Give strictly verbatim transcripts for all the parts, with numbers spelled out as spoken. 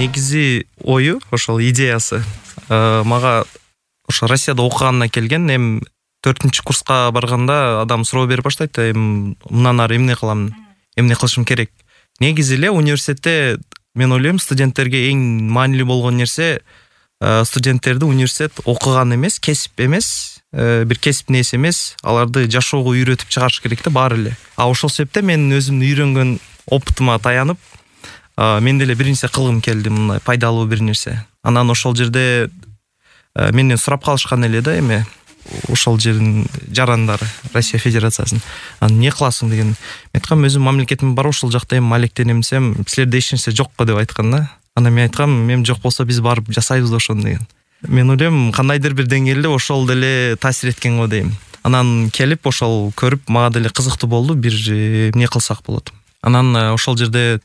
негизи ою, ошол идеясы мага ошо Россияда окугандан келген. Эми төртүнчү курска барганда адам суроо берип баштайт, эми мындан ары эмне кылам, эмне кылышым керек. Негизи эле университетте мен ойлойм, студенттерге эң маанилүү болгон нерсе студенттерди университет окуган эмес, кесип эмес, бир кесип нерсе эмес, аларды жашоого үйрөтүп чыгарыш керек да баары эле. А ошол себептен мен өзүмдүн үйрөнгөн опытыма таянып, мен деле бир нерсе кылгым келди, мындай пайдалуу бир нерсе. Анан ошол жерде менден сурап калышкан эле да, эме ошол жердин жарандары, Россия Федерациясынын. Анан эмне кыласың деген. Мен айткам, өзүм мамлекетим бар, ошол жакта эми алектенем десем, силерде эч нерсе жокко деп айткан да. Анан мен айткам, мен жок болсо биз барып жасайбыз ошону деген. Мен ойлойм, кандайдыр бир деңгээлде ошол деле таасир эткен го дейм. Анан келип ошол көрүп, мага деле кызыктуу болду, бир эмне кылсак болот. Анан ошол жерде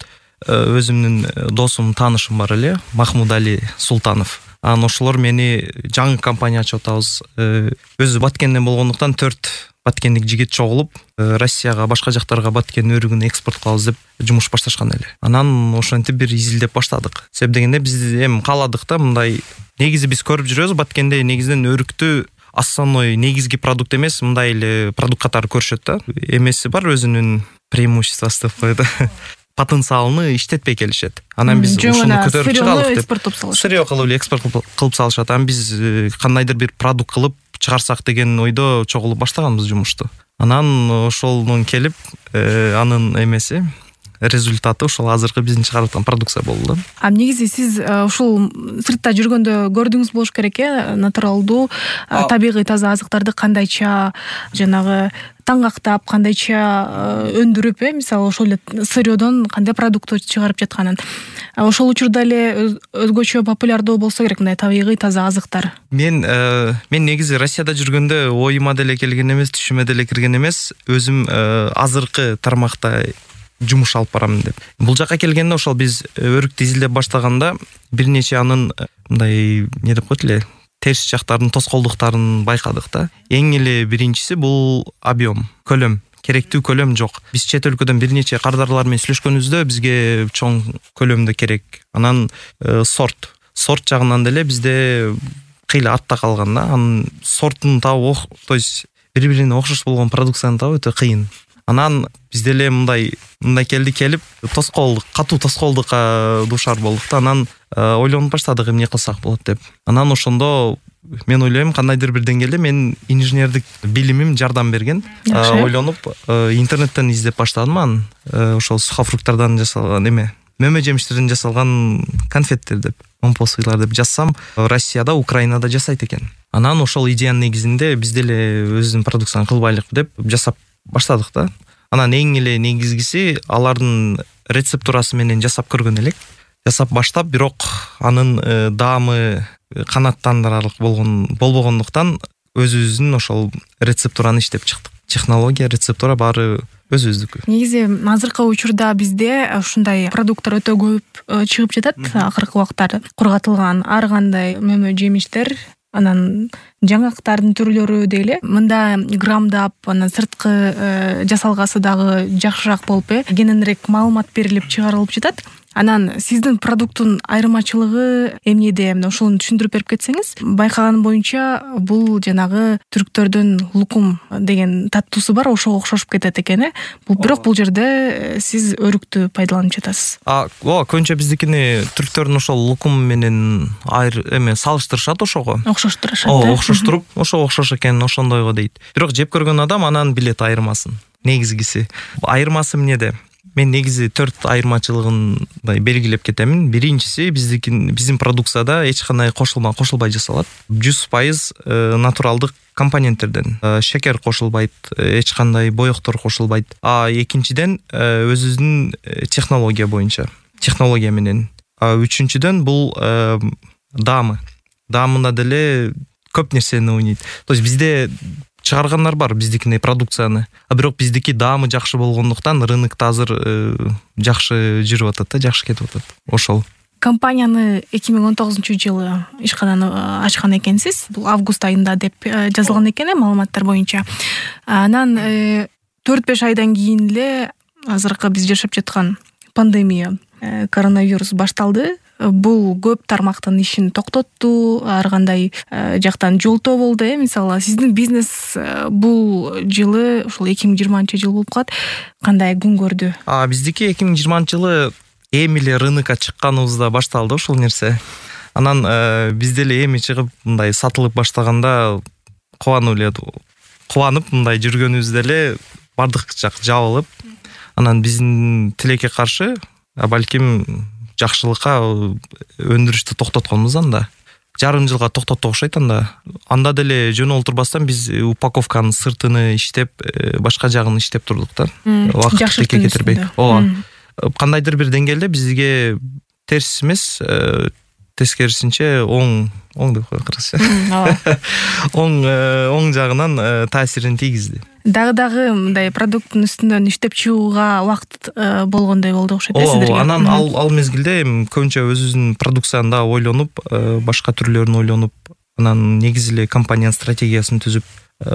өзүмдүн досум, таанышым бар эле, Махмуд Али Султанов. Анан ошолор мени жаңы компания ачып атабыз. Өзү Баткенден болгондуктан төрт баткендик жигит чогулуп, Россияга, башка жактарга баткен өрүгүн экспорт кылабыз деп жумуш башташкан эле. Анан ошентип бир изилдеп баштадык. Себеп дегенде биз эми кааладык да, мындай негизи биз көрүп жүрөбүз, Баткенде негизинен өрүктү основной негизги продукт эмес, мындай эле продукт катары көрүшөт да. Эмеси бар, өзүнүн преимуществосы деп коет. Потенциалын иштетпей келишет. Анан биз ушуну көтөрүп чыгалык деп. Сырьё кылып эле экспорт кылып салышат. Анан биз кандайдыр бир продукт кылып чыгарсак деген ойдо чогулуп баштаганбыз жумушту. Анан ошолдон келип, анын эмеси, результаты ошол азыркы биздин чыгарып аткан продукция болду да. А негизи сиз ушул сыртта жүргөндө көрдүңүз болуш керек э, натуралдуу, табигый таза азыктарды кандайча жанагы таңгактап, кандайча өндүрүп, э, мисалы ошол эле сырьёдон кандай продукт чыгарып жатканын. Ошол учурда эле өзгөчө популярдуу болсо керек мындай табигый таза азыктар. Мен мен негизи Россияда жүргөндө оюма деле келген эмес, түшүмө деле кирген эмес, өзүм азыркы тармакта жумуш алып барам деп. Бул жака келгенде ошол биз өрүктү изилдеп баштаганда бир нече анын мындай эмне деп коет эле, терс жактарын, тоскоолдуктарын байкадык да. Эң эле биринчиси бул объем, көлөм. Керектүү көлөм жок. Биз чет өлкөдөн бир нече кардарлар менен сүйлөшкөнүбүздө бизге чоң көлөмдө керек. Анан сорт, сорт жагынан деле бизде кыйла артта калган да. Анын сортун табуу, то есть бири-бирине окшош болгон продукцияны табуу өтө кыйын. Анан биз деле мындай мындай келди келип, тоскоолдук, катуу тоскоолдукка дуушар болдук да. Анан ойлонуп баштадык эмне кылсак болот деп. Анан ошондо мен ойлойм, кандайдыр бир деңгээлде мен инженердик билимим жардам берген. Ойлонуп интернеттен издеп баштадым. Анан ошол сухофруктардан жасалган эме, мөмө жемиштерден жасалган конфеттер деп, момпосыйлар деп жазсам, Россияда, Украинада жасайт экен. Анан ошол идеянын негизинде биз деле өзүбүздүн продукцияны кылбайлык деп жасап баштадык да. Анан эң эле негизгиси алардын рецептурасы менен жасап көргөн элек. Жасап баштап, бирок анын даамы канааттандырарлык болгон болбогондуктан өзүбүздүн ошол рецептураны иштеп чыктык. Технология, рецептура баары өзүбүздүкү. Негизи азыркы учурда бизде ушундай продукттар өтө көп чыгып жатат. Акыркы убактар кургатылган ар кандай мөмө жемиштер, анан жаңактардын түрлөрү дейле, мында грамдап, анан сырткы жасалгасы дагы жакшыраак болуп, э, кененирээк маалымат берилип чыгарылып жатат. Анан сиздин продукттун айырмачылыгы эмнеде? Ошону түшүндүрүп берип кетсеңиз. Байкаганым боюнча бул жанагы түрктөрдүн лукум деген таттуусу бар, ошого окшошуп кетет экен, э. Бул бирок бул жерде сиз өрүктү пайдаланып жатасыз. А, о, көбүнчө биздикини түрктөрдүн ошол лукум менен айыр эме салыштырышат ошого. Окшоштурушат. О, окшоштуруп, ошо окшош экен, ошондойго дейт. Бирок жеп көргөн адам анан билет айырмасын. Негизгиси. Айырмасы эмнеде? Мен негизи төрт айырмачылыгын белгилеп кетемин. Биринчиси, биздикин биздин продукцияда эч кандай кошулма кошулбай жасалат. жүз пайыз натуралдык компоненттерден. Шекер кошулбайт, эч кандай боектор кошулбайт. А экинчиден, өзүбүздүн технология боюнча, технология менен. А үчүнчүдөн бул даамы. Даамында деле көп нерсени ойнойт. То есть бизде чыгаргандар бар биздикине продукцияны. А бирок биздики даамы жакшы болгондуктан рынокто азыр жакшы жүрүп атат да, жакшы кетип атат. Ошол. Компанияны эки миң он тогузунчу жылы ишкананы ачкан экенсиз. Бул август айында деп жазылган экен, маалыматтар боюнча. Анан төрт беш айдан кийин эле азыркы биз жашап жаткан пандемия, коронавирус башталды. бул көп тармактын ишин токтотту, ар кандай жактан жолтоо болду. Э мисалы сиздин бизнес бул жылы ушул эки миң жыйырманчы жыл болуп калат. Кандай күн көрдү? А биздики эки миң жыйырманчы жылы эми эле рынокко чыкканыбызда башталды ушул нерсе. Анан биз деле эми чыгып мындай сатылып баштаганда кубанып эле кубанып мындай жүргөнүбүздө эле бардык жак жабылып, анан биздин тилекке каршы балким жакшылыкка өндүрүштү токтотконбуз анда. Жарым жылга токтоттук окшойт анда. Анда деле жөн олтурбастан биз упаковканын сыртыны иштеп, башка жагын иштеп турдук да. Убакытты кетирбей. Ооба. Кандайдыр бир деңгээлде бизге терс эмес, тескерисинче оң оң деп коелучу. Оң оң жагынан таасирин тийгизди. Дагы дагы мындай продукттун үстүнөн иштеп чыгууга убакыт болгондой болду окшойт э сиздерге. Анан ал ал мезгилде көбүнчө өзүбүздүн продукцияны да ойлонуп, башка түрлөрүн ойлонуп, анан негизи эле компаниянын стратегиясын түзүп,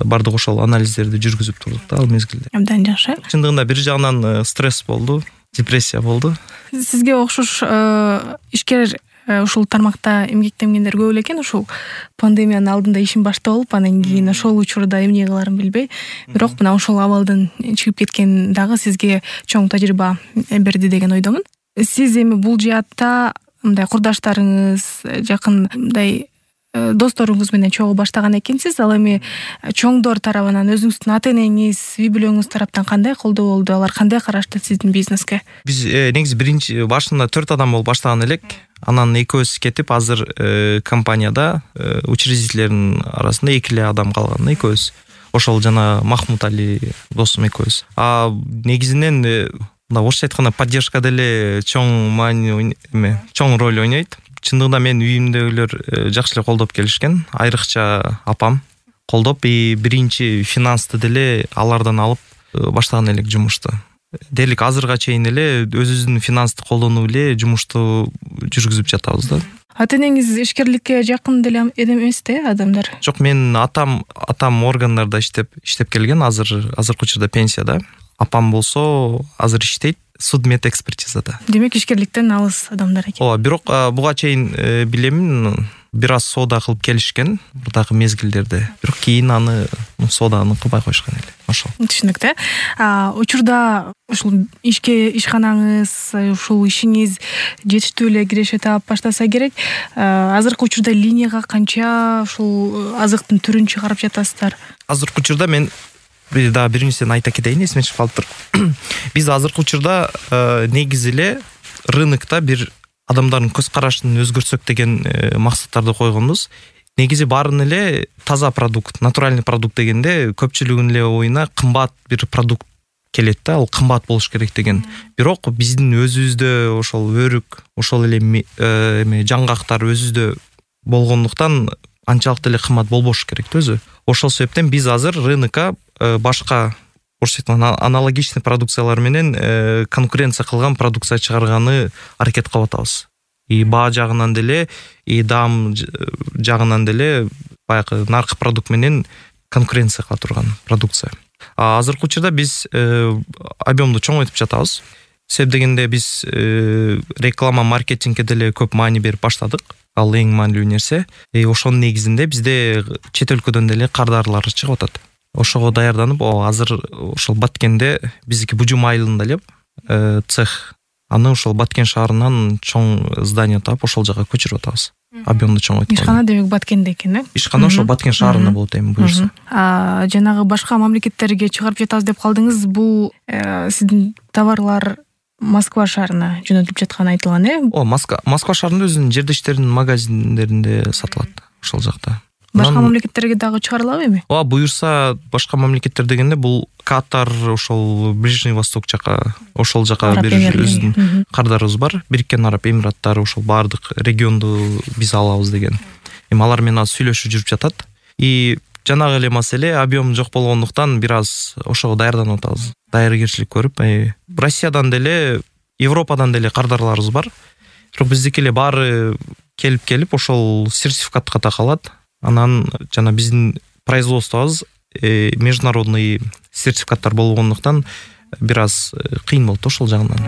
бардык ошол анализдерди жүргүзүп турдук да ал мезгилде. Абдан жакшы. Чындыгында бир жагынан стресс болду, депрессия болду. Сизге окшош ишкер ушул тармакта эмгектенгендер көп эле экен. Ушул пандемиянын алдында ишин баштап алып, анан кийин ошол учурда эмне кыларын билбей, бирок мына ошол абалдан чыгып кеткен дагы сизге чоң тажрыйба берди деген ойдомун. Сиз эми бул жаатта мындай курдаштарыңыз, жакын мындай досторуңуз менен чогуу баштаган экенсиз. Ал эми чоңдор тарабынан, өзүңүздүн ата энеңиз, үй бүлөңүз тараптан кандай колдоо болду? Алар кандай карашты сиздин бизнеске? Биз негизи биринчи башында төрт адам болуп баштаган элек. Анан экөөбүз кетип, азыр компанияда учредителердин арасында эки эле адам калган, экөөбүз. Ошол жана Махмут Али досум экөөбүз. А негизинен мына орусча айтканда поддержка деле чоң маани эме, чоң роль ойнойт. Чындыгында мен үйүмдөгүлөр жакшы эле колдоп келишкен. Айрыкча апам колдоп, и биринчи финансты деле алардан алып баштаган элек жумушту. Дерлик азырга чейин эле өзүбүздүн финансты колдонуп эле жумушту жүргүзүп жатабыз да. Ата энеңиз ишкерликке жакын деле эмес да адамдар? Жок, мен атам атам органдарда иштеп иштеп келген, азыр азыркы учурда пенсияда. Апам болсо азыр иштейт судмедэкспертизада. Демек ишкерликтен алыс адамдар экен. Ооба, бирок буга чейин билемин, бир аз соода кылып келишкен мурдагы мезгилдерде. Бирок кийин аны сооданы кылбай коюшкан эле. Ошол. Түшүнүктүү. А учурда ушул ишке ишканаңыз, ушул ишиңиз жетиштүү эле киреше таап баштаса керек. Азыркы учурда линияга канча ушул азыктын түрүн чыгарып жатасыздар? Азыркы учурда мен бир да бир нерсени айта кетейин, эсиме чыгып калыптыр. Биз азыркы учурда негизи эле рынокто бир адамдардын көз карашын өзгөртсөк деген максаттарды койгонбуз. Негизи баарын эле таза продукт, натуральный продукт дегенде көпчүлүгүнүн эле оюна кымбат бир продукт келет да, ал кымбат болуш керек деген. Бирок биздин өзүбүздө ошол өрүк, ошол эле эме жаңгактар өзүбүздө болгондуктан анчалык деле кымбат болбош керек өзү. Ошол себептен биз азыр рынокко башка аналогичный продукциялар менен конкуренция кылган продукция чыгарганы аракет кылып атабыз. И баа жагынан деле, и даам жагынан деле баягы наркы продукт менен конкуренция кыла турган продукция. А азыркы учурда биз объемду чоңойтуп жатабыз. Себеп дегенде биз реклама, маркетингке деле көп маани берип баштадык. Ал эң маанилүү нерсе. И ошонун негизинде бизде чет өлкөдөн деле кардарлар чыгып атат. Ошого даярданып, азыр ошол Баткенде биздики Бужум айылында эле цех. Аны ошол Баткен шаарынан чоң здание таап, ошол жака көчүрүп атабыз. Объемду чоңойтуп. Ишкана демек Баткенде экен, э? Ишкана ошол Баткен шаарында болот эми буюрса. А жанагы башка мамлекеттерге чыгарып жатабыз деп калдыңыз. Бул сиздин товарлар Москва шаарына жөнөтүлүп жатканы айтылган, э? О, Москва Москва шаарында өзүнүн жердештеринин магазиндеринде сатылат ошол жакта. Башка мамлекеттерге дагы чыгарылабы эми? Ооба, буюрса башка мамлекеттер дегенде бул Катар, ошол Ближний Восток жака, ошол жака бир өзүнүн кардарыбыз бар. Бириккен Араб Эмираттары, ошол баардык регионду биз алабыз деген. Эми алар менен аз сүйлөшүү жүрүп жатат. И жанагы эле маселе объем жок болгондуктан бир аз ошого даярданып атабыз. Даяргерчилик көрүп, Россиядан деле, Европадан деле кардарларыбыз бар. Бирок биздики эле баары келип-келип ошол сертификатка такалат. Анан жана биздин производствобуз международный сертификаттар болгондуктан бир аз кыйын болот ошол жагынан.